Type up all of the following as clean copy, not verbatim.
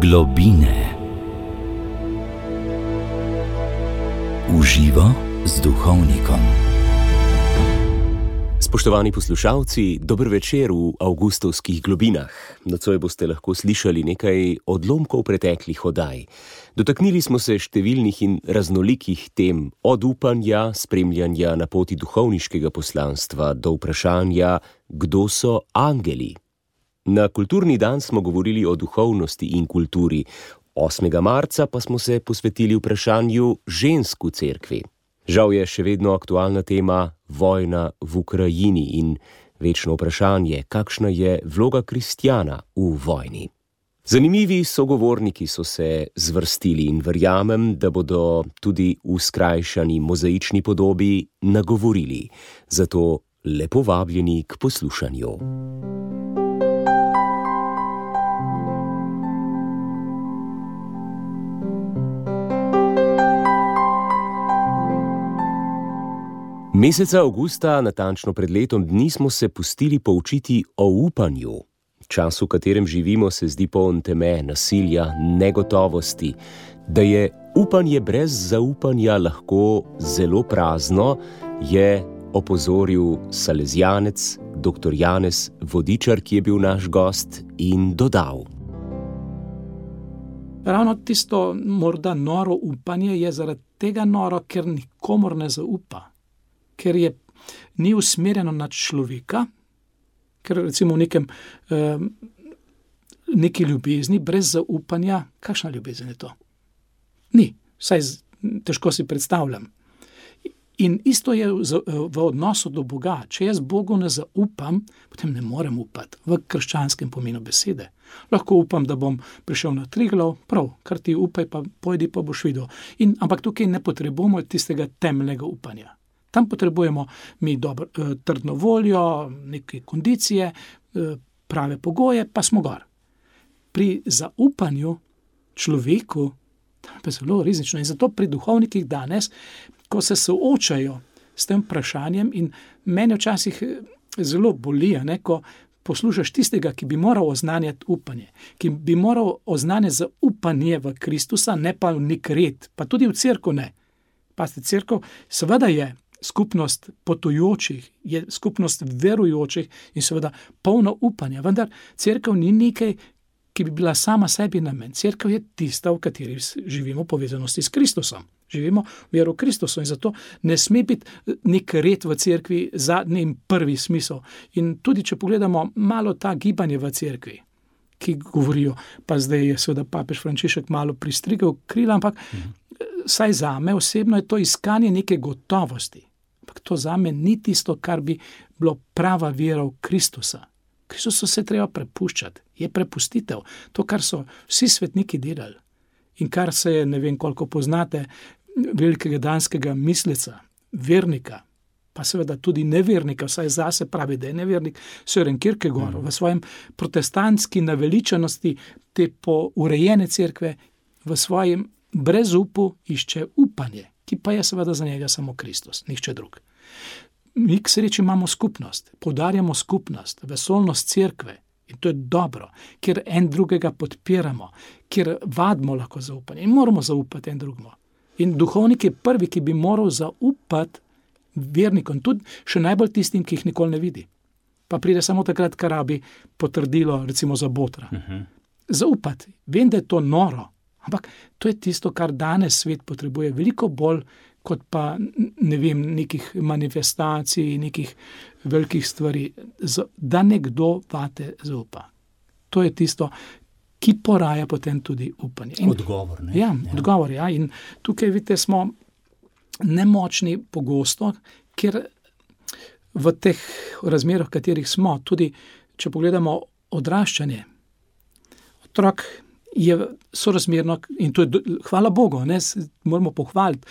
Globine. V živo z duhovnikom. Spoštovani poslušalci, dober večer v avgustovskih globinah. Nocoj boste lahko slišali nekaj odlomkov preteklih oddaj. Dotaknili smo se številnih in raznolikih tem, od upanja, spremljanja na poti duhovniškega poslanstva do vprašanja, kdo so angeli. Na kulturni dan smo govorili o duhovnosti in kulturi, 8. marca pa smo se posvetili vprašanju žensk v cerkvi. Žal je še vedno aktualna tema vojna v Ukrajini in večno vprašanje, kakšna je vloga kristjana v vojni. Zanimivi sogovorniki so se zvrstili in verjamem, da bodo tudi v skrajšani mozaični podobi nagovorili. Zato lepo vabljeni k poslušanju. Meseca avgusta, natančno pred letom dni, smo se pustili poučiti o upanju. Čas, v katerem živimo, se zdi poln teme, nasilja, negotovosti. Da je upanje brez zaupanja lahko zelo prazno, je opozoril salezijanec dr. Janez Vodičar, ki je bil naš gost, in dodal. Ravno tisto morda noro upanje je zaradi tega noro, ker nikomor ne zaupa. Ker ni usmerjeno na človeka, ker recimo v neki ljubezni, brez zaupanja, kakšna ljubezen je to? Ni, vsaj težko si predstavljam. In isto je v odnosu do Boga. Če jaz Bogu ne zaupam, potem ne morem upati v krščanskem pomenu besede. Lahko upam, da bom prišel na Triglav, prav, kar ti upaj, pa pojdi, pa boš videl. Ampak tukaj ne potrebujemo tistega temeljnega upanja. Tam potrebujemo mi trdno voljo, neke kondicije, prave pogoje, pa smo gor. Pri zaupanju človeku, tam je zelo rizično. In zato pri duhovnikih danes, ko se soočajo s tem vprašanjem, in mene včasih zelo boli, ko poslušaš tistega, ki bi moral oznanjati upanje, ki bi moral oznanjati zaupanje v Kristusa, ne pa v nek red, pa tudi v cerkev ne. Pazite, cerkev seveda je skupnost potujočih, je skupnost verujočih in seveda polno upanja. Vendar cerkev ni nekaj, ki bi bila sama sebi namen. Cerkev je tista, v kateri živimo v povezanosti s Kristusom. Živimo v veru Kristusu in zato ne sme biti nek red v cerkvi zadnji in prvi smisel. In tudi, če pogledamo malo ta gibanje v cerkvi, ki govorijo, pa zdaj je seveda papež Frančišek malo pristrigel krila, ampak saj zame osebno je to iskanje neke gotovosti. Ampak to zame ni tisto, kar bi bilo prava vera v Kristusa. Kristusu se treba prepuščati. Je prepustitev. To, kar so vsi svetniki delali in kar se je, ne vem koliko poznate, velikega danskega misleca, vernika, pa seveda tudi nevernika, vsaj zase pravi, da je nevernik, Søren Kierkegaard, v svojem protestantski naveličanosti te urejene cerkve, v svojem brezupu išče upanje, ki pa je seveda za njega samo Kristus, nihče drug. Mi k sreči imamo skupnost, poudarjamo skupnost, vesolnost cerkve in to je dobro, ker en drugega podpiramo, ker vadimo lahko zaupanje in moramo zaupati en drugemu. In duhovnik je prvi, ki bi moral zaupati vernikom, tudi še najbolj tistim, ki jih nikoli ne vidi. Pa pride samo takrat, kar rabi potrdilo, recimo za botra. Zaupati, vem, da je to noro, ampak to je tisto, kar danes svet potrebuje veliko bolj, kot pa, ne vem, nekih manifestacij, nekih velikih stvari, da nekdo vate zaupa. To je tisto, ki poraja potem tudi upanje. Odgovor, ne? Ja, odgovor, ja. In tukaj, vidite, smo nemočni pogosto, ker v teh razmerah, v katerih smo, tudi, če pogledamo odraščanje, otrok je sorazmerno, in to je, hvala Bogu, moramo pohvaliti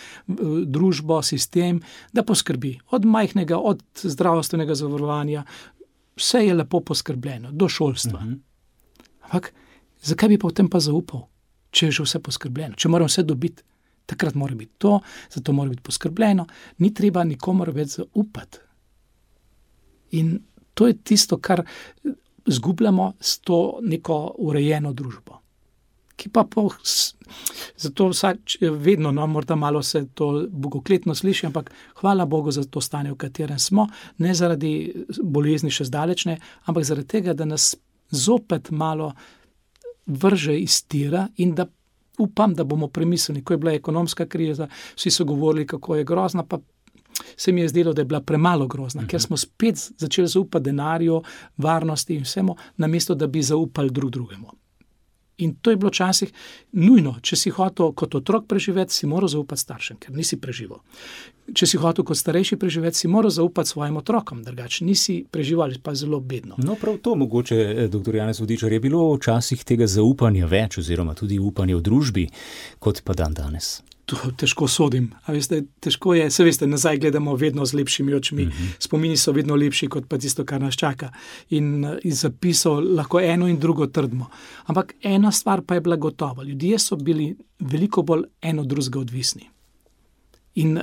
družbo, sistem, da poskrbi od majhnega, od zdravstvenega zavarovanja, vse je lepo poskrbljeno, do šolstva. Ampak, zakaj bi potem pa zaupal, če je že vse poskrbljeno, če moram vse dobiti? Takrat mora biti to, zato mora biti poskrbljeno, ni treba nikomor več zaupati. In to je tisto, kar zgubljamo s to neko urejeno družbo. ki pa zato vedno, morda malo se to bogokletno sliši, ampak hvala Bogu za to stanje, v katerem smo, ne zaradi bolezni še zdaleč ne, ampak zaradi tega, da nas zopet malo vrže iz tira in da upam, da bomo premislili, ko je bila ekonomska kriza, vsi so govorili, kako je grozna, pa se mi je zdelo, da je bila premalo grozna, ker smo spet začeli zaupati denarju, varnosti in vsemu, namesto da bi zaupali drugemu. In to je bilo včasih nujno. Če si hotel kot otrok preživeti, si moral zaupati staršem, ker nisi preživel. Če si hotel kot starejši preživeti, si moral zaupati svojim otrokom, drugače nisi preživel, pa zelo bedno. No, prav to mogoče, dr. Janez Vodičar, je bilo včasih tega zaupanja več, oziroma tudi upanja v družbi, kot pa danes. To težko sodim. A veste, težko je, se veste, nazaj gledamo vedno z lepšimi očmi. Spomini so vedno lepši, kot pa tisto, kar nas čaka. In iz zapisov lahko eno in drugo trdimo. Ampak ena stvar pa je bila gotova. Ljudje so bili veliko bolj eno drugega odvisni. In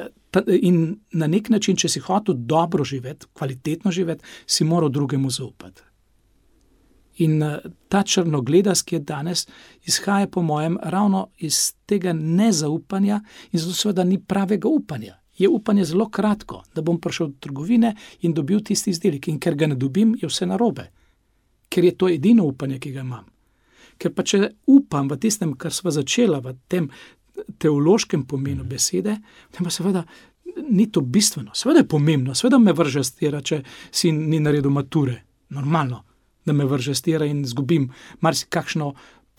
na nek način, če si hotel dobro živeti, kvalitetno živeti, si moral drugemu zaupati. In ta črnogledac, ki je danes, izhaja po mojem ravno iz tega nezaupanja in zato seveda ni pravega upanja. Je upanje zelo kratko, da bom prišel do trgovine in dobil tisti izdelek. In ker ga ne dobim, je vse narobe. Ker je to edino upanje, ki ga imam. Ker pa če upam v tistem, kar sva začela, v tem teološkem pomenu besede, potem pa seveda ni to bistveno. Seveda je pomembno, seveda me vrže stira, če si ni naredil mature. Normalno, da me vrže stira in izgubim marsikakšno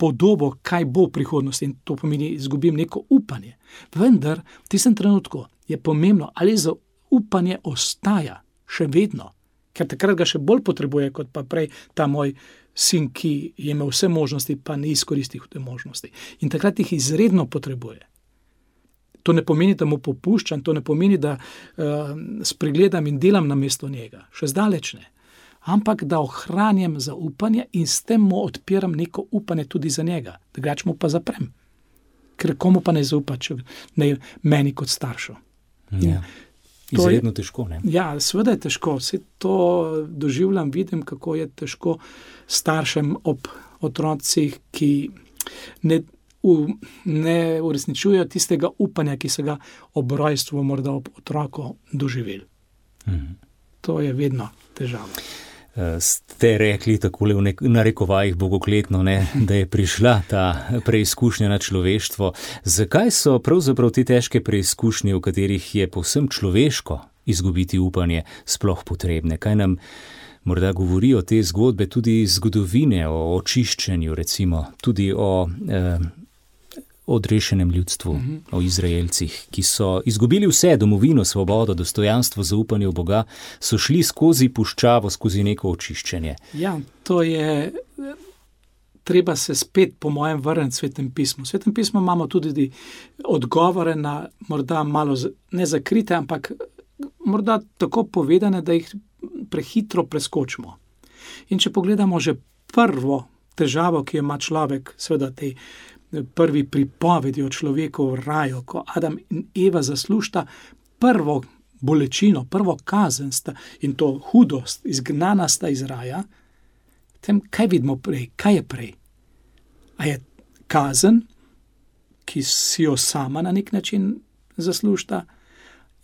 podobo, kaj bo v prihodnosti, in to pomeni, izgubim neko upanje. Vendar v tistem trenutku je pomembno, ali zaupanje ostaja še vedno, ker takrat ga še bolj potrebuje, kot pa prej ta moj sin, ki je imel vse možnosti, pa ni izkoristil te možnosti. In takrat jih izredno potrebuje. To ne pomeni, da mu popuščam, to ne pomeni, da spregledam in delam namesto njega. Še zdaleč ne. Ampak da ohranjam zaupanje in s tem mu odpiram neko upanje tudi za njega. Drugače mu pa zaprem. Ker komu pa ne zaupa, če ne meni kot staršu. Ja. Izredno težko, ne? Ja, seveda je težko. Vse to doživljam, vidim, kako je težko staršem ob otrocih, ki ne uresničujejo tistega upanja, ki so ga ob rojstvu morda ob otroku doživeli. To je vedno težava. Ste rekli takole v narekovajih bogokletno, ne, da je prišla ta preizkušnja na človeštvo. Zakaj so pravzaprav te težke preizkušnje, v katerih je povsem človeško izgubiti upanje, sploh potrebne? Kaj nam morda govorijo te zgodbe, tudi zgodovine o očiščenju, recimo, tudi o odrešenem ljudstvu, o Izraelcih, ki so izgubili vse, domovino, svobodo, dostojanstvo, zaupanje v Boga, so šli skozi puščavo, skozi neko očiščenje. Ja, to je, treba se spet po mojem vrniti Svetem pismu. V Svetem pismu imamo tudi odgovore na morda malo ne zakrite, ampak morda tako povedane, da jih prehitro preskočimo. In če pogledamo že prvo težavo, ki jo ima človek, seveda tej prvi pripovedi o človeku v raju, ko Adam in Eva zaslužita prvo bolečino, prvo kazen in to hudost, izgnana sta iz raja, potem kaj vidimo prej? Kaj je prej? A je kazen, ki si jo sama na nek način zaslužita,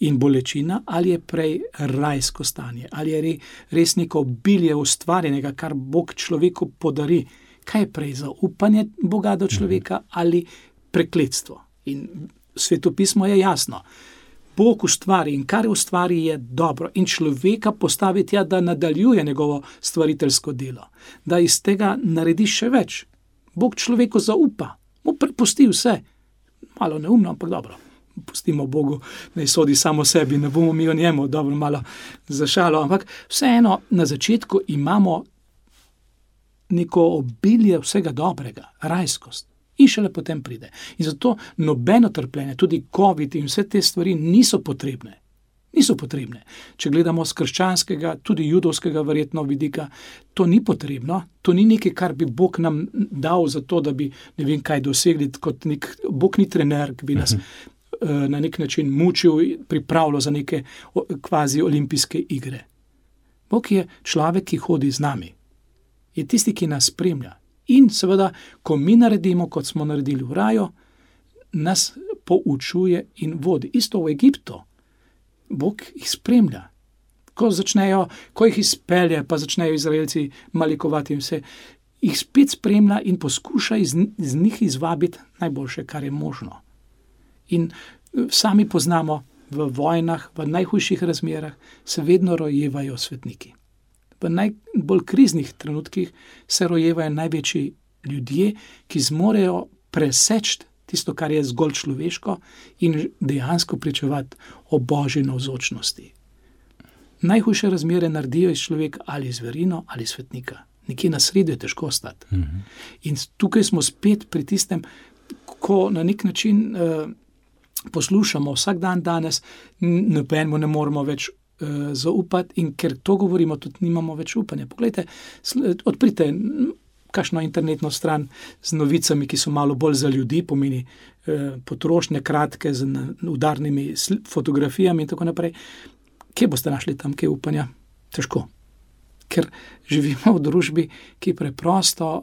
in bolečina, ali je prej rajsko stanje, ali je res neko obilje ustvarjenega, kar Bog človeku podari. Kaj je prej, zaupanje Boga do človeka ali prekletstvo? In Svetopismo je jasno. Bog ustvari in kar ustvari je dobro in človeka postavi tja, da nadaljuje njegovo stvariteljsko delo, da iz tega naredi še več. Bog človeku zaupa, mu prepusti vse. Malo neumno, ampak dobro. Pustimo Bogu, naj sodi samo sebi, ne bomo mi o njemu, dobro, malo za šalo, ampak vseeno na začetku imamo neko obilje vsega dobrega, rajskost. In šele potem pride. In zato nobeno trpljenje, tudi COVID in vse te stvari niso potrebne. Niso potrebne. Če gledamo z krščanskega, tudi judovskega verjetno vidika, to ni potrebno, to ni nekaj, kar bi Bog nam dal za to, da bi ne vem kaj dosegli, kot Bog ni trener, ki bi nas na nek način mučil, pripravljal za neke kvazi olimpijske igre. Bog je človek, ki hodi z nami. Je tisti, ki nas spremlja In seveda, ko mi naredimo, kot smo naredili v raju, nas poučuje in vodi. Isto v Egiptu. Bog jih spremlja. Ko jih izpelje, pa začnejo Izraelci malikovati in vse, jih spet spremlja in poskuša iz njih izvabiti najboljše, kar je možno. In sami poznamo, v vojnah, v najhujših razmerah se vedno rojevajo svetniki. V najbolj kriznih trenutkih se rojevajo največji ljudje, ki zmorejo preseči tisto, kar je zgolj človeško in dejansko pričevati o Božji navzočnosti. Najhujše razmere naredijo iz človeka ali zverino ali svetnika. Nekje na sredo je težko stati. In tukaj smo spet pri tistem, ko na nek način poslušamo vsak dan danes, nobenemu ne moremo več zaupati in ker to govorimo, tudi nimamo več upanja. Poglejte, odprite kakšno internetno stran z novicami, ki so malo bolj za ljudi, pomeni potrošnje kratke z udarnimi fotografijami in tako naprej. Kje boste našli tam kaj upanja? Težko. Ker živimo v družbi, ki preprosto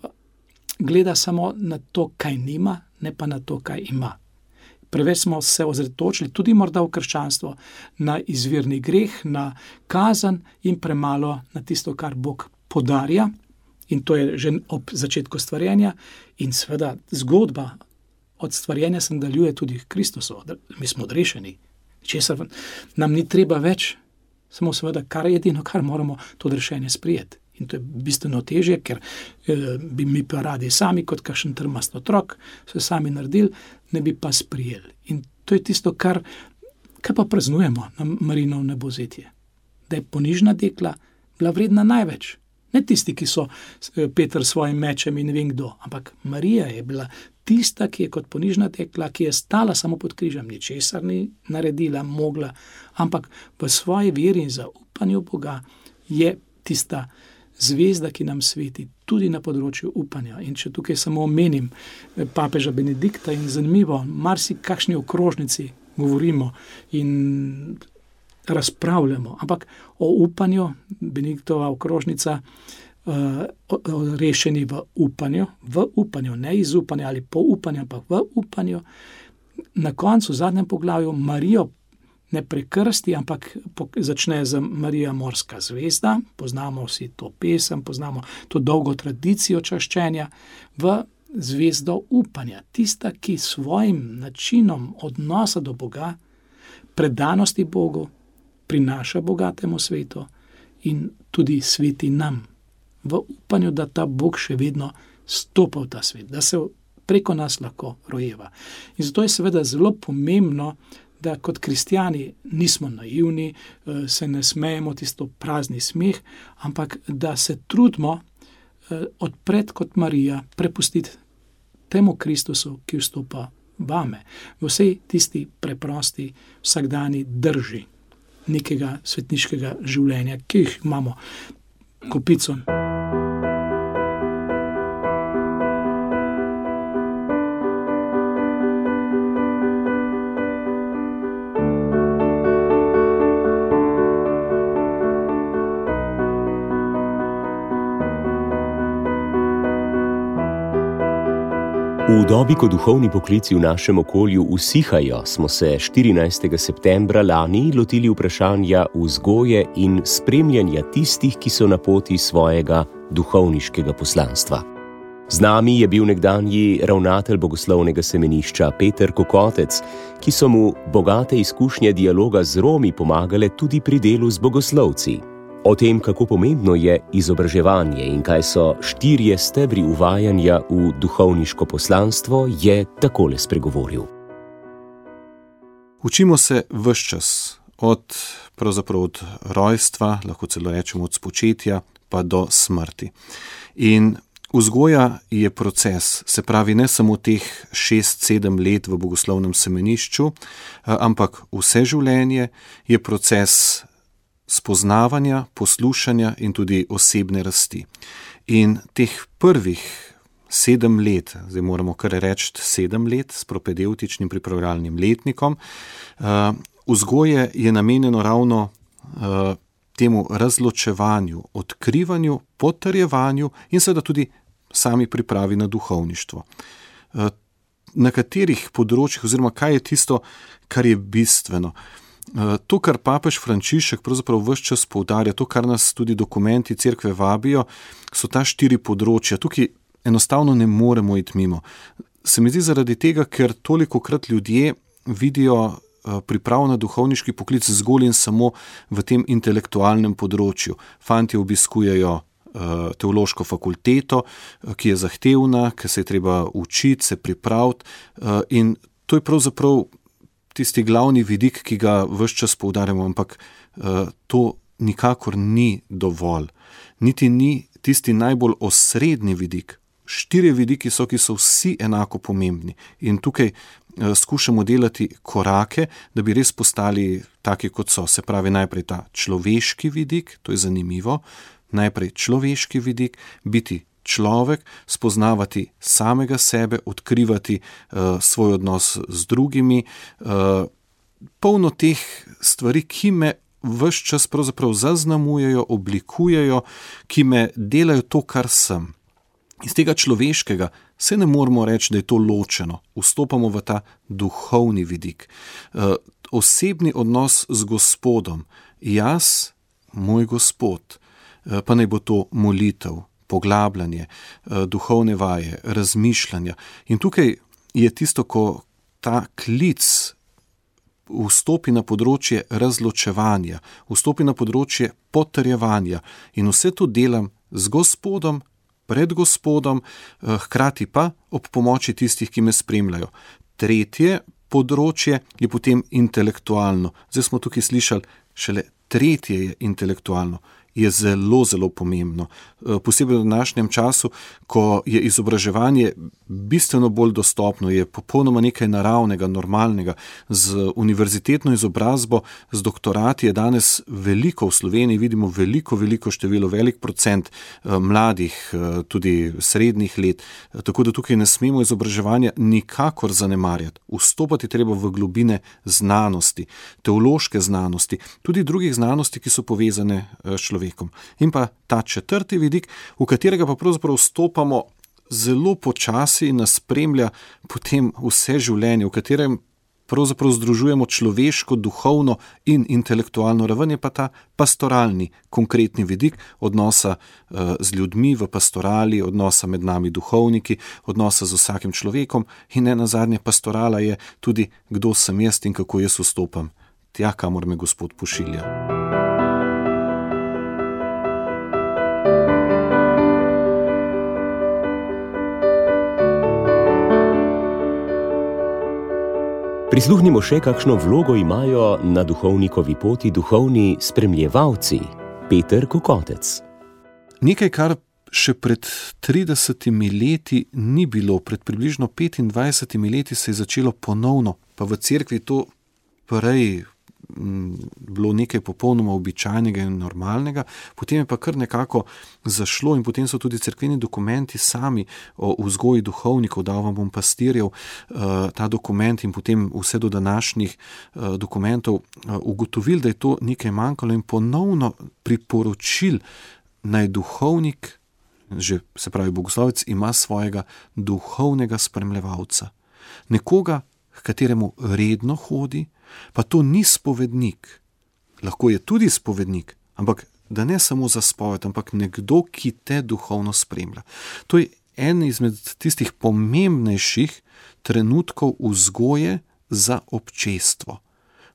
gleda samo na to, kaj nima, ne pa na to, kaj ima. Preveč smo se ozretočili, tudi morda v krščanstvo, na izvirni greh, na kazen in premalo na tisto, kar Bog podarja. In to je že ob začetku stvarjenja. In seveda zgodba od stvarjenja se nadaljuje tudi Kristusu. Mi smo odrešeni. Česar nam ni treba več, samo seveda, kar je edino, kar moramo, to odrešenje sprijeti. In to je bistveno težje, ker bi mi pa radi sami, kot kakšen trmast otrok, se sami naredili, ne bi pa sprijeli. In to je tisto, kar pa praznujemo na Marijino nebovzetje. Da je ponižna dekla bila vredna največ. Ne tisti, ki so Peter s svojim mečem in ne vem kdo, ampak Marija je bila tista, ki je kot ponižna dekla, ki je stala samo pod križem, ničesar ni naredila, mogla, ampak v svoji veri in zaupanju Boga je tista zvezda, ki nam sveti tudi na področju upanja. In če tukaj samo omenim papeža Benedikta in zanimivo, marsikakšni okrožnici govorimo in razpravljamo, ampak o upanju, Benediktova okrožnica, rešeni v upanju, ne iz upanja ali po upanju, ampak v upanju. Na koncu, v zadnjem poglavju, Marijo ne prekrsti, ampak začne z Marija morska zvezda, poznamo vsi to pesem, poznamo to dolgo tradicijo čaščenja, v zvezdo upanja. Tista, ki svojim načinom odnosa do Boga, predanosti Bogu, prinaša bogatemu svetu in tudi sveti nam. V upanju, da ta Bog še vedno stopa v ta svet, da se preko nas lahko rojeva. In zato je seveda zelo pomembno, da kot kristjani nismo naivni, se ne smejemo tisto prazni smeh, ampak da se trudimo odpreti kot Marija, prepustiti temu Kristusu, ki vstopa vame, v vsej tisti preprosti vsakdani drži nekega svetniškega življenja, ki jih imamo kopico. V dobi, ko duhovni poklici v našem okolju usihajo, smo se 14. septembra lani lotili vprašanja vzgoje in spremljanja tistih, ki so na poti svojega duhovniškega poslanstva. Z nami je bil nekdanji ravnatelj bogoslovnega semenišča Peter Kokotec, ki so mu bogate izkušnje dialoga z Romi pomagale tudi pri delu z bogoslovci. O tem, kako pomembno je izobraževanje in kaj so 4 stebri uvajanja v duhovniško poslanstvo, je takole spregovoril. Učimo se ves čas, pravzaprav od rojstva, lahko celo rečemo od spočetja, pa do smrti. In vzgoja je proces, se pravi ne samo teh 6-7 let v bogoslovnem semenišču, ampak vse življenje je proces spoznavanja, poslušanja in tudi osebne rasti. In teh prvih 7 let, zdaj moramo kar reči 7 let s propedevtičnim pripravljalnim letnikom, vzgoje je namenjeno ravno temu razločevanju, odkrivanju, potrjevanju in seveda tudi sami pripravi na duhovništvo. Na katerih področjih oziroma kaj je tisto, kar je bistveno. To, kar papež Frančišek pravzaprav ves čas poudarja, to, kar nas tudi dokumenti cerkve vabijo, so ta 4 področja. Tukaj enostavno ne moremo iti mimo. Se mi zdi zaradi tega, ker tolikokrat ljudje vidijo priprav na duhovniški poklic zgolj in samo v tem intelektualnem področju. Fantje obiskujejo teološko fakulteto, ki je zahtevna, ki se je treba učiti, se pripraviti, in to je pravzaprav tisti glavni vidik, ki ga ves čas poudarjamo, ampak to nikakor ni dovolj. Niti ni tisti najbolj osrednji vidik. 4 vidiki so, ki so vsi enako pomembni, in tukaj skušamo delati korake, da bi res postali taki, kot so. Se pravi, najprej ta človeški vidik, to je zanimivo, najprej človeški vidik, biti človek, spoznavati samega sebe, odkrivati svoj odnos z drugimi, polno teh stvari, ki me ves čas pravzaprav zaznamujejo, oblikujejo, ki me delajo to, kar sem. Iz tega človeškega se ne moramo reči, da je to ločeno. Vstopamo v ta duhovni vidik. Osebni odnos z Gospodom. Jaz, moj Gospod, pa naj bo to molitev, poglabljanje, duhovne vaje, razmišljanja. In tukaj je tisto, ko ta klic vstopi na področje razločevanja, vstopi na področje potrjevanja, in vse to delam z Gospodom, pred Gospodom, hkrati pa ob pomoči tistih, ki me spremljajo. Tretje področje je potem intelektualno. Zdaj smo tukaj slišali, šele tretje je intelektualno. Je zelo, zelo pomembno. Posebej v današnjem času, ko je izobraževanje bistveno bolj dostopno, je popolnoma nekaj naravnega, normalnega. Z univerzitetno izobrazbo, z doktorati je danes veliko v Sloveniji, vidimo veliko število, velik procent mladih, tudi srednjih let. Tako da tukaj ne smemo izobraževanja nikakor zanemarjati. Vstopati treba v globine znanosti, teološke znanosti, tudi drugih znanosti, ki so povezane s človekom. In pa ta 4. vidik, v katerega pa pravzaprav vstopamo zelo počasi in nas spremlja potem vse življenje, v katerem pravzaprav združujemo človeško, duhovno in intelektualno raven, je pa ta pastoralni, konkretni vidik odnosa z ljudmi v pastorali, odnosa med nami duhovniki, odnosa z vsakim človekom, in nenazadnje pastorala je tudi, kdo sem jaz in kako jaz vstopam tja, kamor me Gospod pošilja. Prisluhnimo še, kakšno vlogo imajo na duhovnikovi poti duhovni spremljevalci. Peter Kokotec. Nekaj, kar še pred 30 leti ni bilo, pred približno 25 leti se je začelo ponovno, pa v cerkvi to prej bilo nekaj popolnoma običajnega in normalnega, potem je pa kar nekako zašlo, in potem so tudi cerkveni dokumenti sami o vzgoji duhovnikov, dal vam bom pastirjev, ta dokument in potem vse do današnjih dokumentov, ugotovili, da je to nekaj manjkalo, in ponovno priporočil, naj duhovnik, že se pravi bogoslovec, ima svojega duhovnega spremljevalca. Nekoga, k kateremu redno hodi, pa to ni spovednik. Lahko je tudi spovednik, ampak da ne samo za spoved, ampak nekdo, ki te duhovno spremlja. To je en izmed tistih pomembnejših trenutkov vzgoje za občestvo.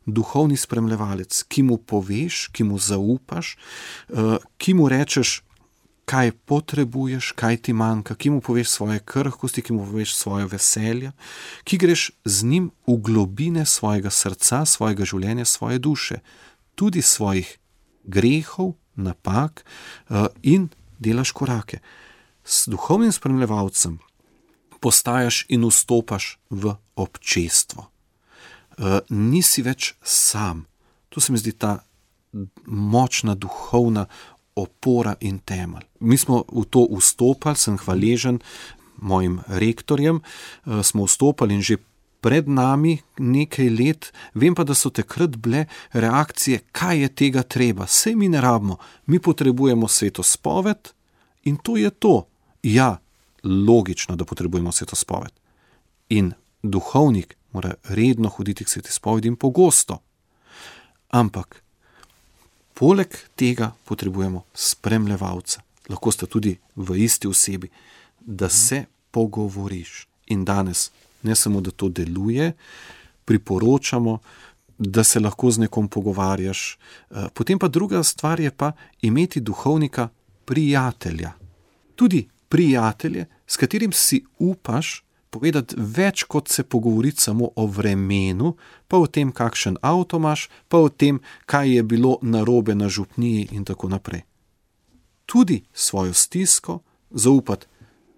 Duhovni spremljevalec, ki mu poveš, ki mu zaupaš, ki mu rečeš, kaj potrebuješ, kaj ti manjka, ki mu poveš svoje krhkosti, ki mu poveš svoje veselja, ki greš z njim v globine svojega srca, svojega življenja, svoje duše, tudi svojih grehov, napak, in delaš korake. S duhovnim spremljevalcem postajaš in vstopaš v občestvo. Nisi več sam. To se mi zdi ta močna duhovna opora in temelj. Mi smo v to vstopali, sem hvaležen mojim rektorjem, smo vstopali in že pred nami nekaj let, vem pa, da so takrat bile reakcije, kaj je tega treba, sej mi ne rabimo, mi potrebujemo sveto spoved in to je to. Ja, logično, da potrebujemo svetospoved. In duhovnik mora redno hoditi k svetispovedi in pogosto. Ampak poleg tega potrebujemo spremljevalca. Lahko sta tudi v isti osebi, da se pogovoriš. In danes ne samo, da to deluje, priporočamo, da se lahko z nekom pogovarjaš. Potem pa druga stvar je pa imeti duhovnika prijatelja. Tudi prijatelje, s katerim si upaš povedati več, kot se pogovoriti samo o vremenu, pa o tem, kakšen avto imaš, pa o tem, kaj je bilo narobe na župniji in tako naprej. Tudi svojo stisko, zaupati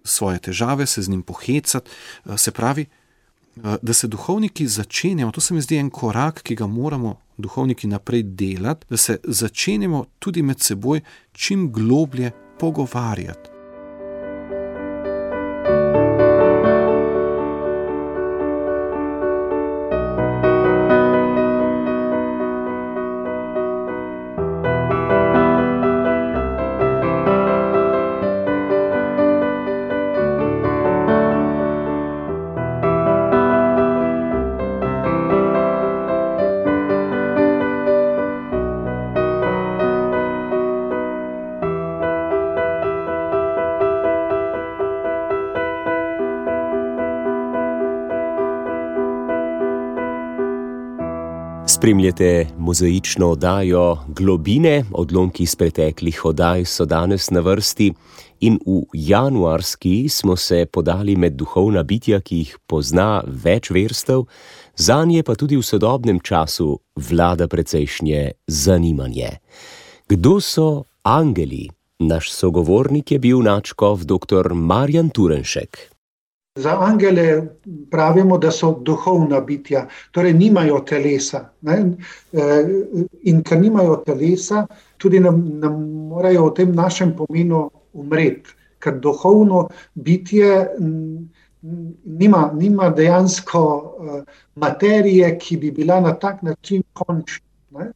svoje težave, se z njim pohecati, se pravi, da se duhovniki začenjamo, to se mi zdi en korak, ki ga moramo duhovniki naprej delati, da se začenjamo tudi med seboj čim globlje pogovarjati. Spremljate mozaično oddajo Globine, odlomki iz preteklih oddaj so danes na vrsti in v januarski smo se podali med duhovna bitja, ki jih pozna več verstev, zanje pa tudi v sodobnem času vlada precejšnje zanimanje. Kdo so angeli? Naš sogovornik je bil nadškof dr. Marjan Turnšek. Za angele pravimo, da so duhovna bitja, torej nimajo telesa. Ne? In ker nimajo telesa, tudi ne morajo v tem našem pomenu umreti, ker duhovno bitje nima dejansko materije, ki bi bila na tak način končna.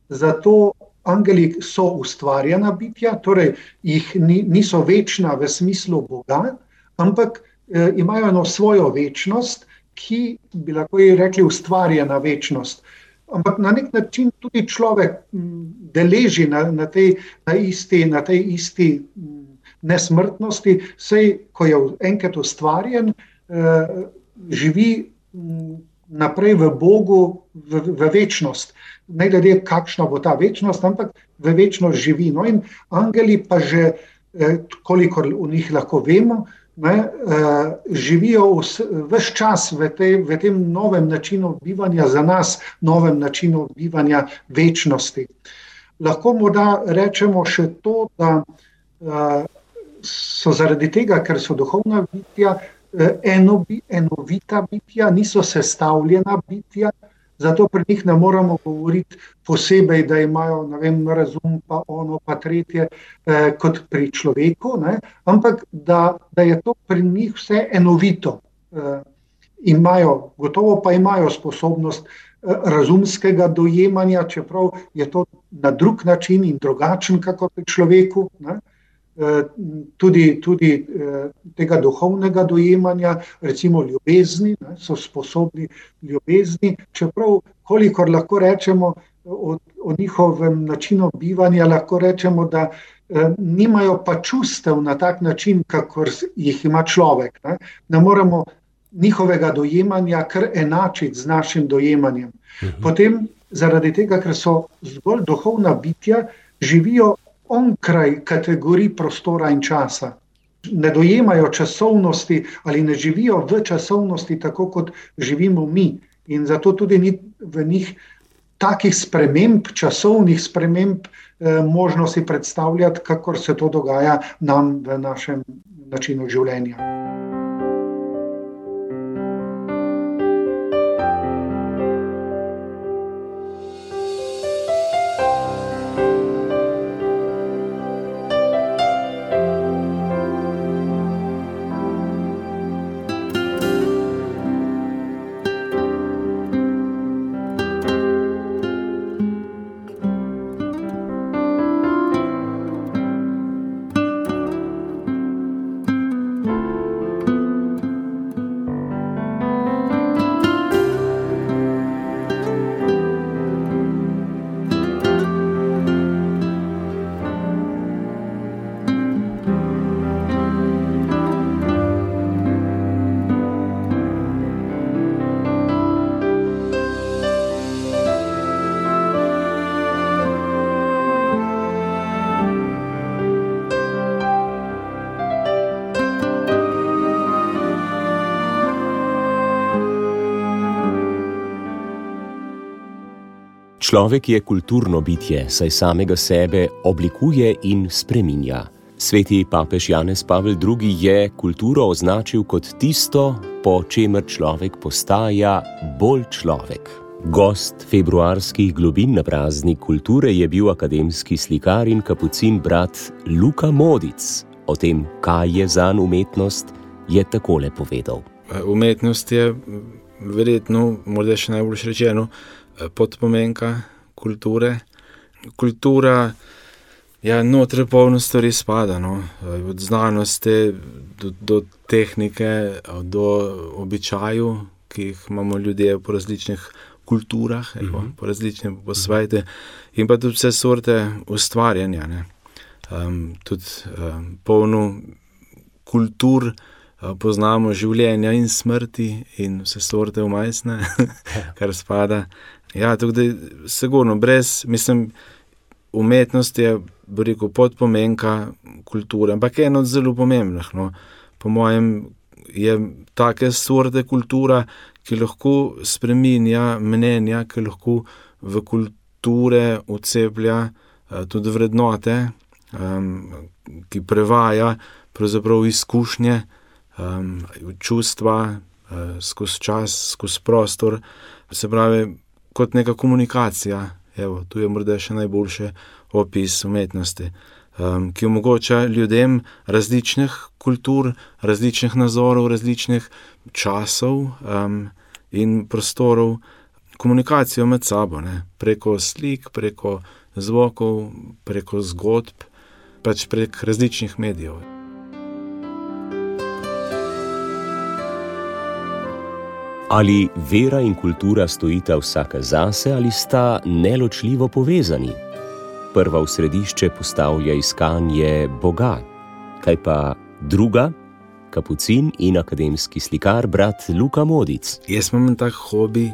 Zato angeli so ustvarjena bitja, torej jih niso večna v smislu Boga, ampak imajo eno svojo večnost, ki bi lahko rekli ustvarjena večnost. Ampak na nek način tudi človek deleži na tej isti nesmrtnosti, saj ko je enkrat ustvarjen, živi naprej v Bogu v večnost. Ne glede kakšna bo ta večnost, ampak v večnost živi. No in angeli pa že, kolikor v njih lahko vemo, živijo ves čas v tem novem načinu bivanja za nas, novem načinu bivanja večnosti. Lahko morda rečemo še to, da so zaradi tega, ker so duhovna bitja, enovita bitja, niso sestavljena bitja, zato pri njih ne moramo govoriti posebej, da imajo, ne vem, razum, pa ono, pa tretje, kot pri človeku, ne? Ampak da je to pri njih vse enovito. Gotovo pa imajo sposobnost razumskega dojemanja, čeprav je to na drug način in drugačen, kako pri človeku, ne? Tudi tega duhovnega dojemanja, recimo ljubezni, ne, so sposobni ljubezni, čeprav kolikor lahko rečemo o njihovem načinu bivanja, lahko rečemo, da nimajo pa čustev na tak način, kakor jih ima človek. Ne moremo njihovega dojemanja kar enačiti z našim dojemanjem. Potem, zaradi tega, ker so zgolj duhovna bitja, živijo onkraj kategorij prostora in časa. Ne dojemajo časovnosti ali ne živijo v časovnosti tako, kot živimo mi. In zato tudi ni v njih takih sprememb, časovnih sprememb možnosti predstavljati, kakor se to dogaja nam v našem načinu življenja. Človek je kulturno bitje, saj samega sebe oblikuje in spreminja. Sveti papež Janez Pavel II. Je kulturo označil kot tisto, po čemer človek postaja bolj človek. Gost februarskih globin na praznik kulture je bil akademski slikar in kapucin brat Luka Modic. O tem, kaj je zanj umetnost, je takole povedal. Umetnost je verjetno, morda še najbolj rečeno, podpomenka kulture. Kultura noter polno stvari spada, od znanosti do tehnike, do običaju, ki jih imamo ljudje po različnih kulturah, po različnih po svetu, in pa tudi vse sorte ustvarjanja. Tudi polno kultur, poznamo življenja in smrti in vse sorte vmesne, kar spada. Tako da sigurno, umetnost je, bi rekel, podpomenka kulture, ampak eno od zelo pomembnih. Po mojem je take sorte kultura, ki lahko spreminja mnenja, ki lahko v kulture vceplja tudi vrednote, ki prevaja pravzaprav izkušnje, čustva skozi čas, skozi prostor, se pravi, kot neka komunikacija. Tu je morda še najboljši opis umetnosti, ki omogoča ljudem različnih kultur, različnih nazorov, različnih časov in prostorov komunikacijo med sabo, preko slik, preko zvokov, preko zgodb, prek različnih medijev. Ali vera in kultura stojita vsaka zase ali sta neločljivo povezani? Prva v središče postavlja iskanje Boga. Kaj pa druga? Kapucin in akademski slikar brat Luka Modic. Jaz imam tak hobi,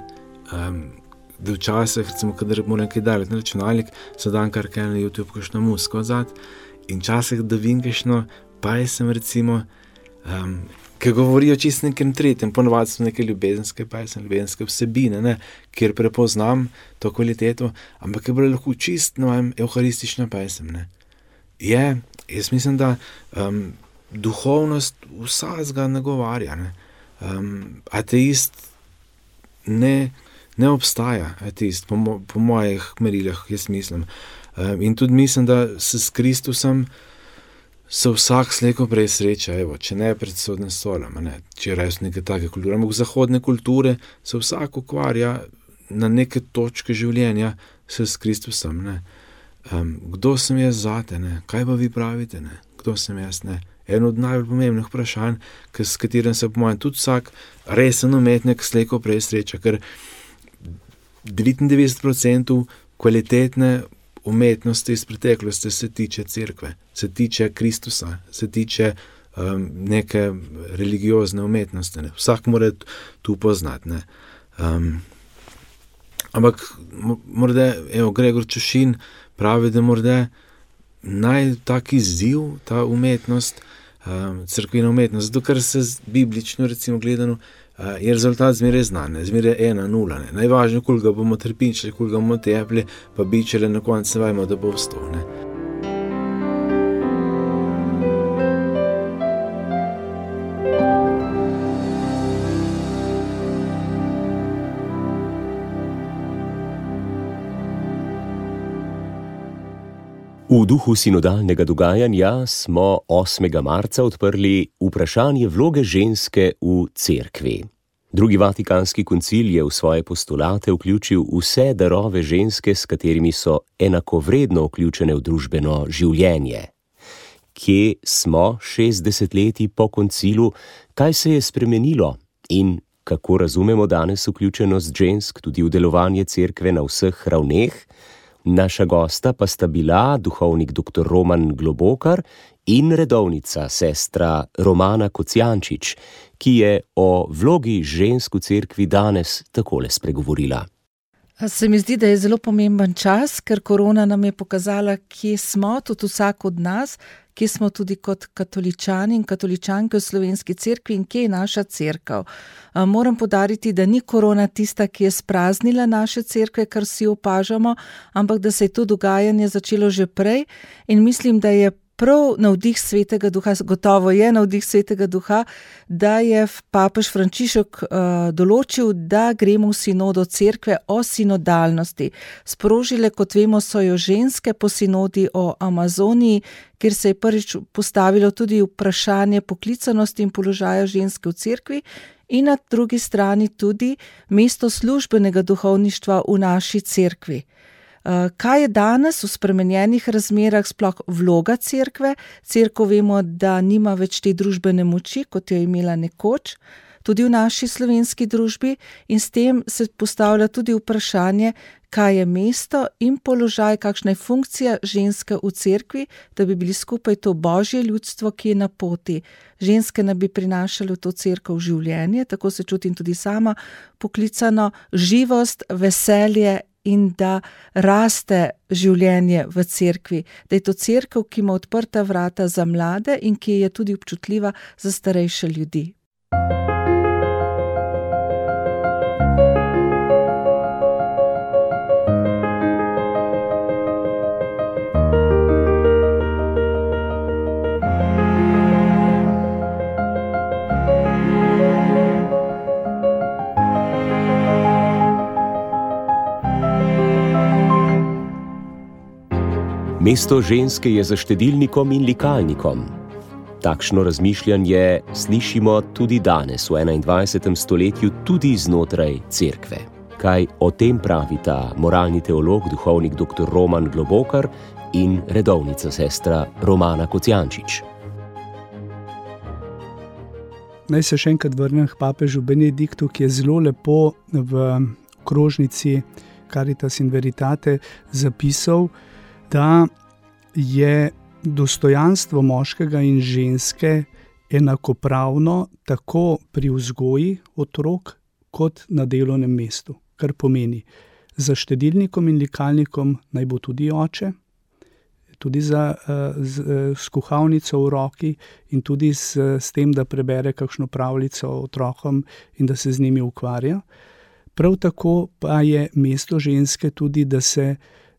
da včasih, recimo, kadar moram kaj delati na računalnik, se dan kar kaj na YouTube kakšno muziko vzad in včasih da vidim kakšno pesem, recimo, ki govorijo čisto nekem tretjem, ponovadi so neke ljubezenske pesem, ljubezenske vsebine, kjer prepoznam to kvaliteto, ampak je bilo lahko čisto evharistična pesem. Jaz mislim, da duhovnost vsakega nagovarja. Ateist ne obstaja, ateist, po mojih merilah, jaz mislim. In tudi mislim, da s Kristusom se vsak slejko prej sreča, če ne pred sodnim stolom, če res neke take kulture. Ampak zahodne kulture se vsak ukvarja na neke točke življenja s Kristusom. Kdo sem jaz zate? Kaj pa vi pravite? Kdo sem jaz? Eno od najbolj pomembnih vprašanj, s katerim se po mojem tudi vsak resen umetnik slejko prej sreča, ker 99% kvalitetne umetnosti iz preteklosti se tiče cerkve, se tiče Kristusa, se tiče neke religiozne umetnosti. Vsak mora tu poznati. Ampak morda, Gregor Čušin pravi, da morda tak izziv, ta umetnost, cerkvena umetnost, zato ker se biblično, recimo gledano, je rezultat zmeraj znan, zmeraj 1-0. Najvažnije, koliko ga bomo trpinčili, koliko ga bomo tepli, pa bičele, na koncu vajmo, da bo vstal. V duhu sinodalnega dogajanja smo 8. marca odprli vprašanje vloge ženske v cerkvi. Drugi vatikanski koncil je v svoje postulate vključil vse darove ženske, s katerimi so enakovredno vključene v družbeno življenje. Kje smo 60 leti po koncilu, kaj se je spremenilo in kako razumemo danes vključenost žensk tudi v delovanje cerkve na vseh ravneh? Naša gosta pa sta bila duhovnik dr. Roman Globokar in redovnica sestra Romana Kocijančič, ki je o vlogi žensk v cerkvi danes takole spregovorila. Se mi zdi, da je zelo pomemben čas, ker korona nam je pokazala, kje smo, tudi vsak od nas, kje smo tudi kot katoličani in katoličanke v Slovenski cerkvi in kje je naša cerkev. Moram poudariti, da ni korona tista, ki je spraznila naše cerkve, kar vsi opažamo, ampak da se je to dogajanje začelo že prej in mislim, da je prav navdih Svetega Duha, gotovo je navdih Svetega Duha, da je papež Frančišek določil, da gremo v sinodo cerkve o sinodalnosti. Sprožile, kot vemo, so jo ženske po sinodi o Amazoniji, kjer se je prvič postavilo tudi vprašanje poklicanosti in položaja ženske v cerkvi in na drugi strani tudi mesto službenega duhovništva v naši cerkvi. Kaj je danes v spremenjenih razmerah sploh vloga cerkve? Cerkev vemo, da nima več te družbene moči, kot jo je imela nekoč, tudi v naši slovenski družbi in s tem se postavlja tudi vprašanje, kaj je mesto in položaj, kakšna je funkcija ženske v cerkvi, da bi bili skupaj to božje ljudstvo, ki je na poti. Ženske naj bi prinašale v to cerkev življenje, tako se čutim tudi sama poklicano, živost, veselje in da raste življenje v cerkvi, da je to cerkev, ki ima odprta vrata za mlade in ki je tudi občutljiva za starejše ljudi. Mesto ženske je za štedilnikom in likalnikom. Takšno razmišljanje slišimo tudi danes v 21. stoletju tudi znotraj cerkve. Kaj o tem pravita moralni teolog, duhovnik dr. Roman Globokar in redovnica sestra Romana Kocijančič. Naj se še enkrat vrnem k papežu Benediktu, ki je zelo lepo v krožnici Caritas in Veritate zapisal, da je dostojanstvo moškega in ženske enakopravno tako pri vzgoji otrok kot na delovnem mestu. Kar pomeni, za štedilnikom in likalnikom naj bo tudi oče, tudi s kuhalnico v roki in tudi s tem, da prebere kakšno pravljico otrokom in da se z njimi ukvarja. Prav tako pa je mesto ženske tudi, da se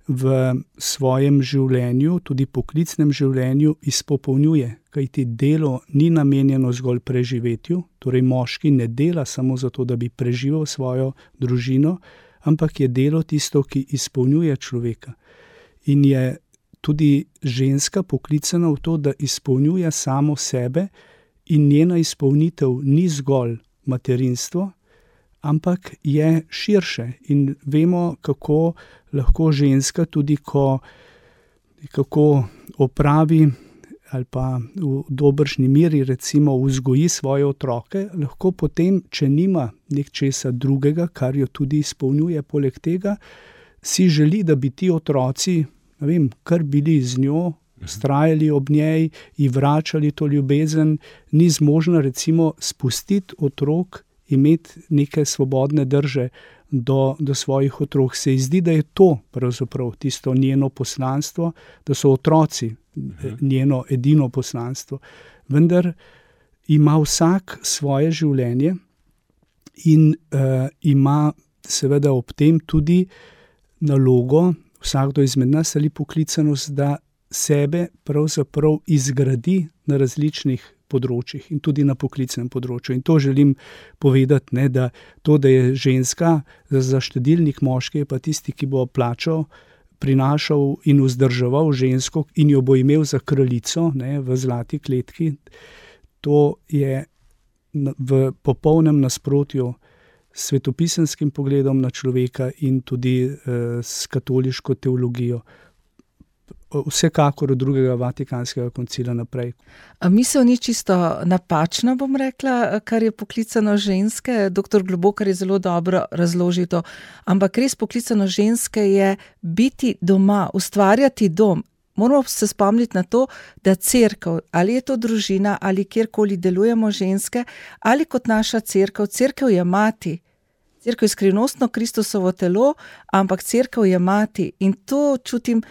v svojem življenju, tudi poklicnem življenju, izpopolnjuje, kajti delo ni namenjeno zgolj preživetju, torej moški ne dela samo zato, da bi preživel svojo družino, ampak je delo tisto, ki izpolnjuje človeka. In je tudi ženska poklicana v to, da izpolnjuje samo sebe in njena izpolnitev ni zgolj materinstvo, ampak je širše in vemo, kako lahko ženska tudi, kako opravi ali pa v dobršni meri recimo vzgoji svoje otroke, lahko potem, če nima nečesa drugega, kar jo tudi izpolnjuje poleg tega, si želi, da bi ti otroci, kar bili z njo, vztrajali ob njej, ji vračali to ljubezen, ni zmožna recimo spustiti otrok, imeti neke svobodne drže do svojih otrok. Se ji zdi, da je to pravzaprav tisto njeno poslanstvo, da so otroci njeno edino poslanstvo. Vendar ima vsak svoje življenje in ima seveda ob tem tudi nalogo, vsakdo izmed nas ali poklicanost, da sebe pravzaprav izgradi na različnih področjih in tudi na poklicnem področju. In to želim povedati, da to, da je ženska za štedilnik, moški je pa tisti, ki bo plačal, prinašal in vzdrževal žensko in jo bo imel za kraljico v zlati kletki. To je v popolnem nasprotju s svetopisenskim pogledom na človeka in tudi s katoliško teologijo. Vsekakor od drugega Vatikanskega koncila naprej. Misel ni čisto napačna, bom rekla, kar je poklicano ženske. Dr. Globokar je zelo dobro razložil to. Ampak res poklicano ženske je biti doma, ustvarjati dom. Moramo se spomniti na to, da cerkev, ali je to družina, ali kjerkoli delujemo ženske, ali kot naša cerkev, cerkev je mati. Cerkev je skrivnostno Kristusovo telo, ampak cerkev je mati in to čutim,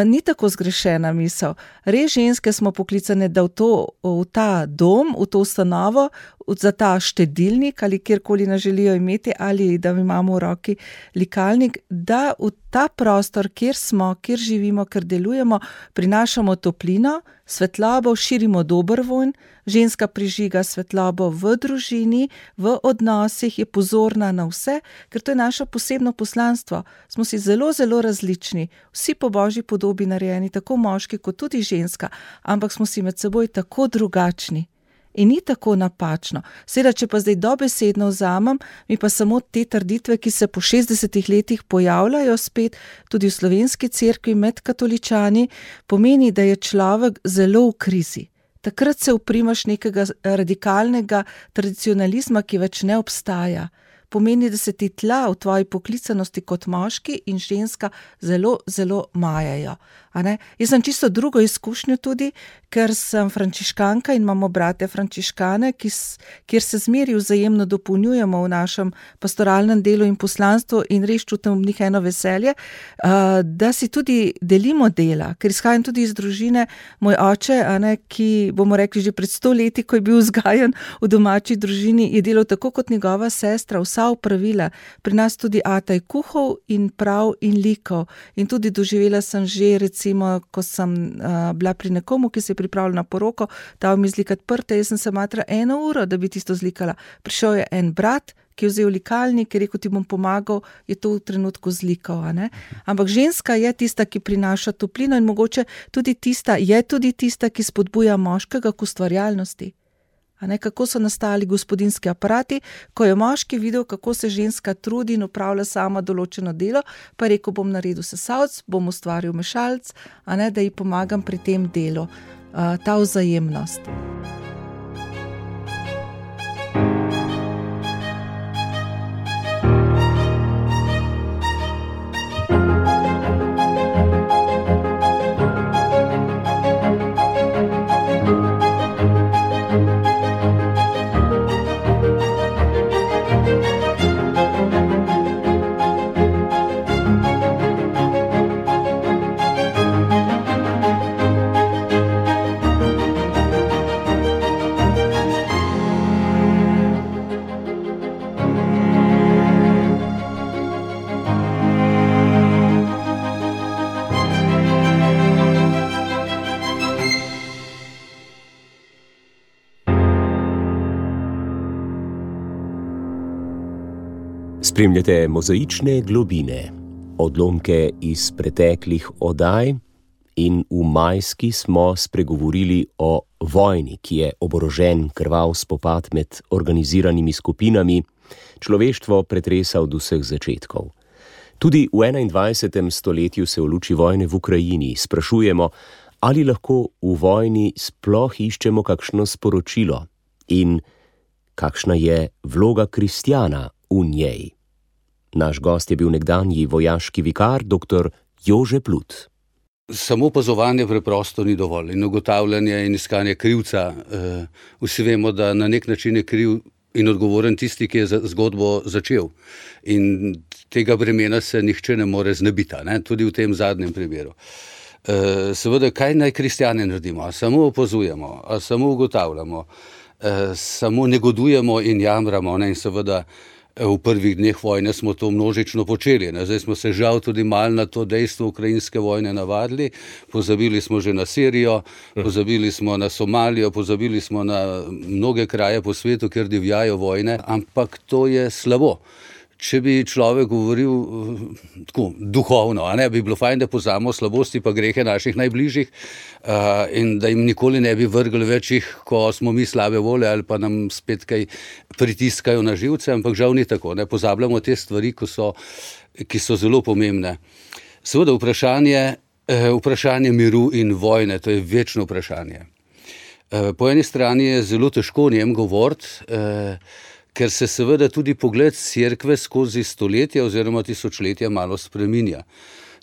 ni tako zgrešena misel. Res ženske smo poklicane, da v ta dom, v to ustanovo, za ta štedilnik ali kjerkoli nas želijo imeti ali da imamo v roki likalnik, da v ta prostor, kjer smo, kjer živimo, kjer delujemo, prinašamo toplino, svetlobo, širimo dober vonj, ženska prižiga svetlobo v družini, v odnosih, je pozorna na vse, ker to je naše posebno poslanstvo. Smo si zelo, zelo različni, vsi po Božji podobi narejeni, tako moški kot tudi ženska, ampak smo si med seboj tako drugačni. In ni tako napačno. Seveda, če pa zdaj dobesedno vzamem, mi pa samo te trditve, ki se po 60 letih pojavljajo spet, tudi v slovenski cerkvi med katoličani, pomeni, da je človek zelo v krizi. Takrat se uprimaš nekega radikalnega tradicionalizma, ki več ne obstaja. Pomeni, da se ti tla v tvoji poklicanosti kot moški in ženska zelo, zelo majajo. Jaz sem čisto drugo izkušnjo tudi, ker sem frančiškanka in imamo brate frančiškane, kjer se zmeri vzajemno dopolnjujemo v našem pastoralnem delu in poslanstvu in res čutim v njih eno veselje, da si tudi delimo dela, ker izhajam tudi iz družine, moj oče, ki bomo rekli že pred 100 leti, ko je bil vzgajan v domači družini, je delal tako kot njegova sestra, vsa opravila. Pri nas tudi ata je kuhal in prav in likal. In tudi doživela sem že, recimo, ko sem bila pri nekomu, ki se je pripravljal na poroko, dal mi zlikati prte, jaz sem se matra 1 uro, da bi tisto zlikala. Prišel je en brat, ki je vzel likalnik, je rekel, ti bom pomagal, je to v trenutku zlikal. Ampak ženska je tista, ki prinaša toplino in mogoče tudi tista, ki spodbuja moškega k ustvarjalnosti. Kako so nastali gospodinjski aparati, ko je moški videl, kako se ženska trudi in opravlja sama določeno delo, pa je rekel, bom naredil sesalc, bom ustvaril mešalc, da ji pomagam pri tem delu. Ta vzajemnost. Spremljate Mozaične globine, odlomke iz preteklih oddaj in v majski smo spregovorili o vojni, ki je oborožen krvav spopad med organiziranimi skupinami, človeštvo pretresa od vseh začetkov. Tudi v 21. stoletju se v luči vojne v Ukrajini sprašujemo, ali lahko v vojni sploh iščemo kakšno sporočilo in kakšna je vloga kristjana v njej. Naš gost je bil nekdanji vojaški vikar, dr. Jože Plut. Samo opazovanje preprosto ni dovolj in ugotavljanje in iskanje krivca. Vsi vemo, da na nek način je kriv in odgovoren tisti, ki je zgodbo začel. In tega bremena se nihče ne more znebiti, tudi v tem zadnjem primeru. Seveda, kaj naj kristjani naredimo? A samo opazujemo, a samo ugotavljamo, samo negodujemo in jamramo, in seveda v prvih dneh vojne smo to množično počeli. Zdaj smo se žal tudi malo na to dejstvo ukrajinske vojne navadili. Pozabili smo že na Sirijo, pozabili smo na Somalijo, pozabili smo na mnoge kraje po svetu, kjer divjajo vojne, ampak to je slabo. Če bi človek govoril tako duhovno, bi bilo fajn, da poznamo slabosti pa grehe naših najbližjih in da jim nikoli ne bi vrgli več jih, ko smo mi slabe volje ali pa nam spet kaj pritiskajo na živce, ampak žal ni tako. Pozabljamo te stvari, ki so zelo pomembne. Seveda vprašanje miru in vojne, to je večno vprašanje. Po eni strani je zelo težko o njem govoriti, ker se seveda tudi pogled cerkve skozi stoletja oziroma tisočletja malo spreminja.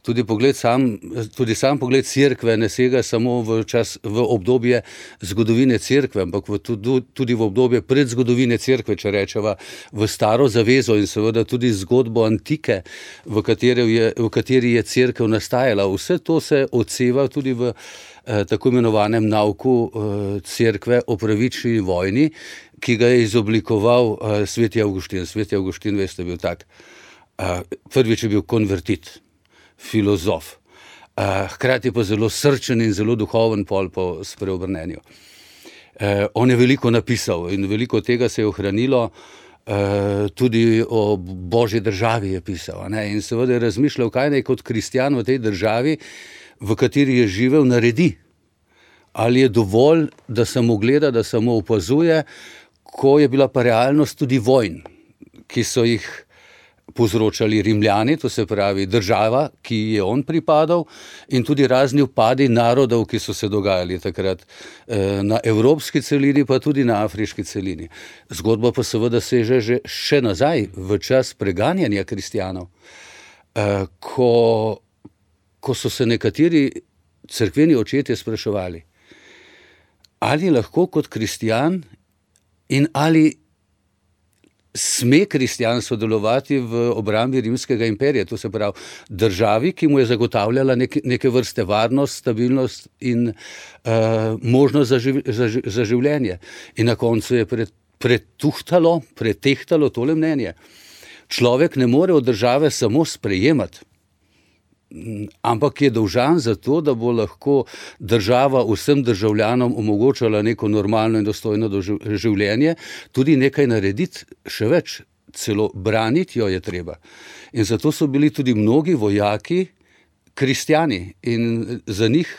Tudi sam pogled cerkve ne sega samo v obdobje zgodovine cerkve, ampak tudi v obdobje predzgodovine cerkve, če rečeva, v staro zavezo in seveda tudi zgodbo antike, v kateri je cerkev nastajala. Vse to se odseva tudi v tako imenovanem nauku cerkve o pravični vojni, ki ga je izoblikoval sveti Avguštin. Sveti Avguštin, veste, bil tak. Prvič je bil konvertit, filozof, hkrati pa zelo srčen in zelo duhoven pol po spreobrnenju. On je veliko napisal in veliko tega se je ohranilo, tudi o Božji državi je pisal, ne? In seveda je razmišljal, kaj naj kot kristjan v tej državi, v kateri je živel, naredi. Ali je dovolj, da samo gleda, da samo opazuje, ko je bila pa realnost tudi vojn, ki so jih povzročali Rimljani, to se pravi država, ki je on pripadal, in tudi razni upadi narodov, ki so se dogajali takrat na evropski celini, pa tudi na afriški celini. Zgodba pa seveda seže že še nazaj, v čas preganjanja kristjanov, ko so se nekateri cerkveni očetje spraševali, ali lahko kot kristjan in ali sme kristjan sodelovati v obrambi Rimskega imperija, to se pravi državi, ki mu je zagotavljala neke vrste varnost, stabilnost in možnost za življenje. In na koncu je pretehtalo tole mnenje. Človek ne more od države samo sprejemati, ampak je dolžan za to, da bo lahko država vsem državljanom omogočala neko normalno in dostojno življenje, tudi nekaj narediti, še več, celo braniti jo je treba. In zato so bili tudi mnogi vojaki kristjani in za njih,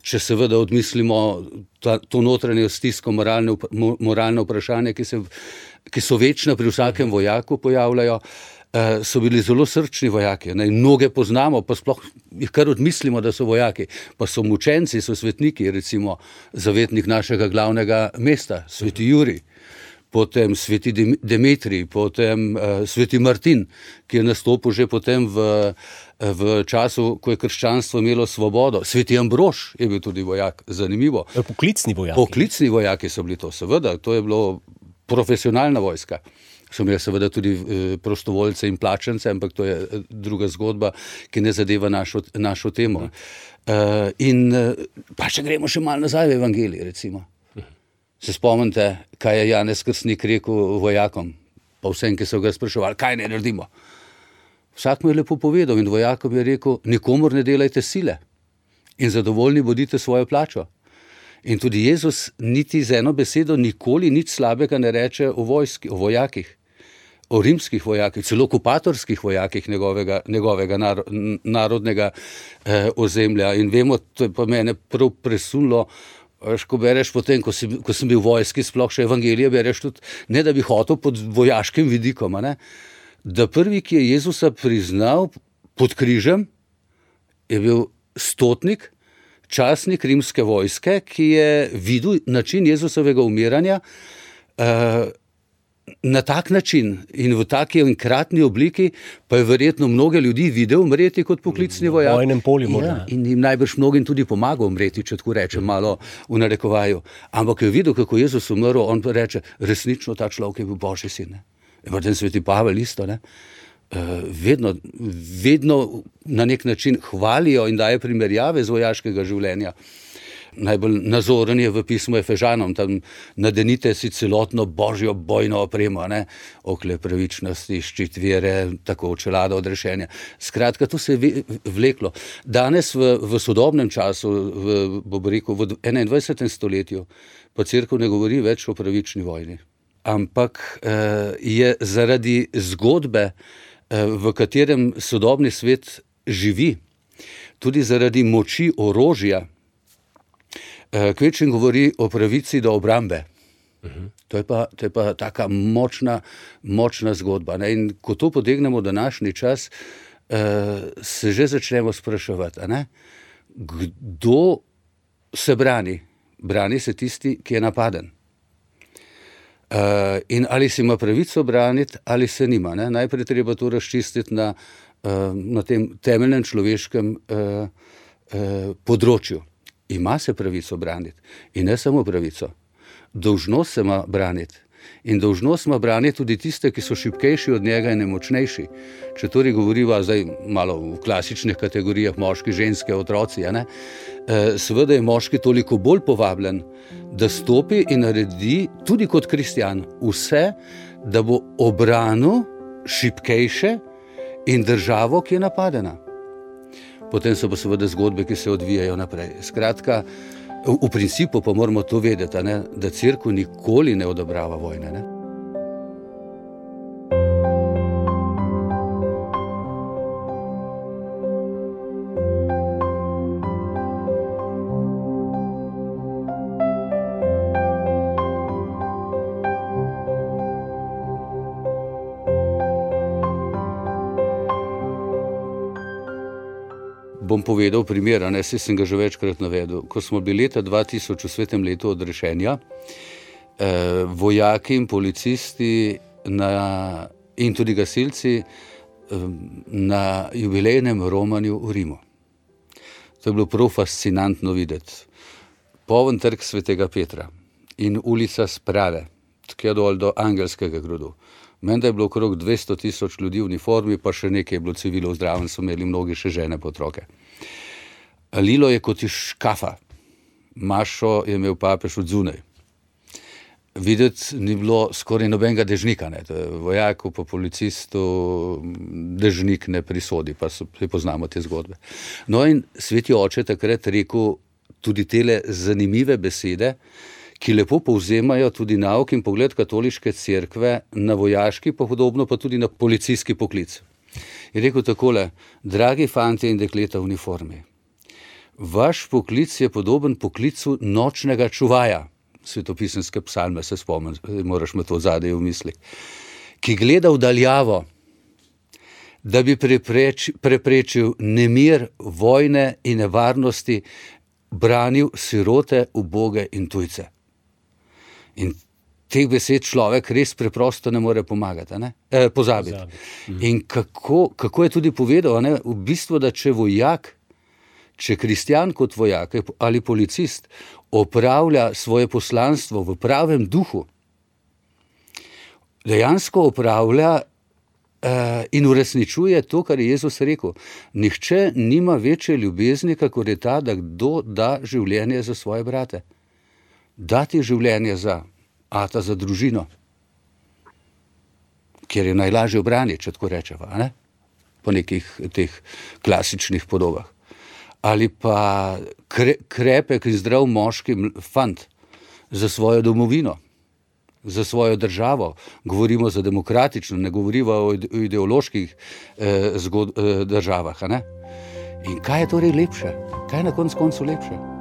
če seveda odmislimo to notranjo stisko, moralne vprašanje, ki so večna pri vsakem vojaku pojavljajo, so bili zelo srčni vojaki. Mnoge poznamo, pa sploh jih kar odmislimo, da so vojaki. Pa so mučenci, so svetniki, recimo zavetnik našega glavnega mesta, sveti Jurij, potem sveti Demetrij, potem sveti Martin, ki je nastopil že potem v času, ko je krščanstvo imelo svobodo. Sveti Ambrož je bil tudi vojak, zanimivo. Poklicni vojaki. Poklicni vojaki so bili to, seveda, to je bilo profesionalna vojska. So imeli seveda tudi prostovoljce in plačance, ampak to je druga zgodba, ki ne zadeva našo temo. Pa če gremo še malo nazaj v evangelij, recimo. Se spomnite, kaj je Janez Krstnik rekel vojakom, pa vsem, ki so ga spraševali, kaj ne naredimo. Vsak mu je lepo povedal in vojakom je rekel, nikomur ne delajte sile in zadovoljni bodite svojo plačo. In tudi Jezus niti z eno besedo nikoli nič slabega ne reče o vojski, o vojakih, o rimskih vojakih, celo okupatorskih vojakih njegovega narodnega ozemlja. In vemo, to je pa mene prav presunilo, ko bereš potem, ko sem bil v vojski, sploh še evangelije bereš tudi, ne da bi hotel pod vojaškim vidikom, da prvi, ki je Jezusa priznal pod križem, je bil stotnik, častnik rimske vojske, ki je videl način Jezusovega umiranja na tak način in v taki enkratni obliki, pa je verjetno mnoge ljudi videl umreti kot poklicni vojak. V vojnem polju morda. In jim najbrž mnogim tudi pomagal umreti, če tako rečem malo v narekovaju. Ampak je videl, kako Jezus umrl, on pa reče, resnično ta človek je bil Božji sin. Potem sveti Pavel isto, vedno na nek način hvalijo in daje primerjave z vojaškega življenja. Najbolj nazoren je v pismu Efežanom, tam nadenite si celotno božjo bojno opremo, okle pravičnosti, ščit vere, tako čelada odrešenja. Skratka, to se je vleklo. Danes v sodobnem času, v 21. stoletju, pa cerkev ne govori več o pravični vojni, ampak je zaradi zgodbe, v katerem sodobni svet živi, tudi zaradi moči orožja, kvečjem govori o pravici do obrambe. To je pa taka močna zgodba. In ko to potegnemo v današnji čas, se že začnemo spraševati, kdo se brani? Brani se tisti, ki je napaden. In ali si ima pravico braniti, ali se nima. Najprej treba to razčistiti na na tem temeljnem človeškem področju. Ima se pravico braniti. In ne samo pravico. Dolžnost se ima braniti. In dolžnost ima braniti tudi tiste, ki so šibkejši od njega in nemočnejši. Če torej govoriva zdaj malo v klasičnih kategorijah moški, ženske, otroci, seveda je moški toliko bolj povabljen, da stopi in naredi tudi kot kristjan vse, da bo obranil šibkejše in državo, ki je napadena. Potem so pa seveda zgodbe, ki se odvijajo naprej. Skratka, v principu pa moramo to vedeti, da cerkev nikoli ne odobrava vojne. Bom povedal primer, saj sem ga že večkrat navedel. Ko smo bili leta 2000 v svetem letu odrešenja, vojaki in policisti in tudi gasilci na jubilejnem romanju v Rimu. To je bilo prav fascinantno videti. Poln trg Svetega Petra in ulica Sprave, tja dol do Angelskega gradu. Menda je bilo okrog 200,000 ljudi v uniformi, pa še nekaj je bilo civilov zdraven, so imeli mnogi še žene pa otroke. Lilo je kot iz škafa. Mašo je imel papež od zunaj. Videti ni bilo skoraj nobenega dežnika. Vojaku pa policistu dežnik ne prisodi, pa poznamo te zgodbe. No in sveti oče takrat rekel tudi tele zanimive besede, ki lepo povzemajo tudi nauk in pogled katoliške cerkve na vojaški, pa podobno pa tudi na policijski poklic. Je rekel takole: dragi fantje in dekleta v uniformi, vaš poklic je podoben poklicu nočnega čuvaja, svetopisemske psalme se spomnim, moraš me to zadaj v mislih, ki gleda v daljavo, da bi preprečil nemir, vojne in nevarnosti, branil sirote, uboge in tujce. In teh besed človek res preprosto ne more pozabiti. In kako je tudi povedal, v bistvu, da če kristjan kot vojak ali policist opravlja svoje poslanstvo v pravem duhu, dejansko opravlja in uresničuje to, kar je Jezus rekel. Nihče nima večje ljubezni, kakor je ta, da kdo da življenje za svoje brate. Dati življenje za družino, kjer je najlažje obraniti, če tako rečeva, po nekih teh klasičnih podobah. Ali pa krepek in zdrav moški fant za svojo domovino, za svojo državo. Govorimo za demokratično, ne govorimo o ideoloških državah. In kaj je torej lepše? Kaj je na koncu lepše?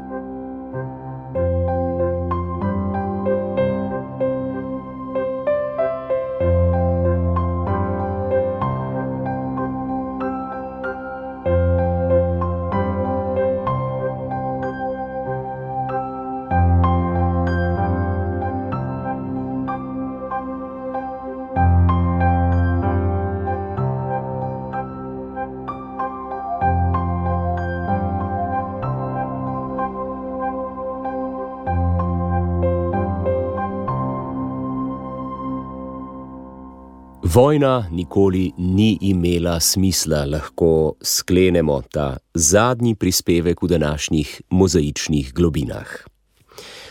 Vojna nikoli ni imela smisla, lahko sklenemo ta zadnji prispevek v današnjih mozaičnih globinah.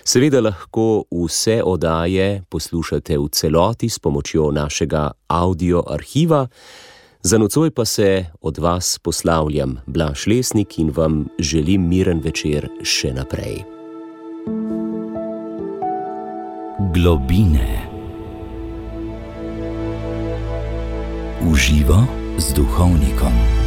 Seveda lahko vse oddaje poslušate v celoti s pomočjo našega audio arhiva. Za nocoj pa se od vas poslavljam, Blaž Lesnik, in vam želim miren večer še naprej. Globine. Uživa z duhovnikom.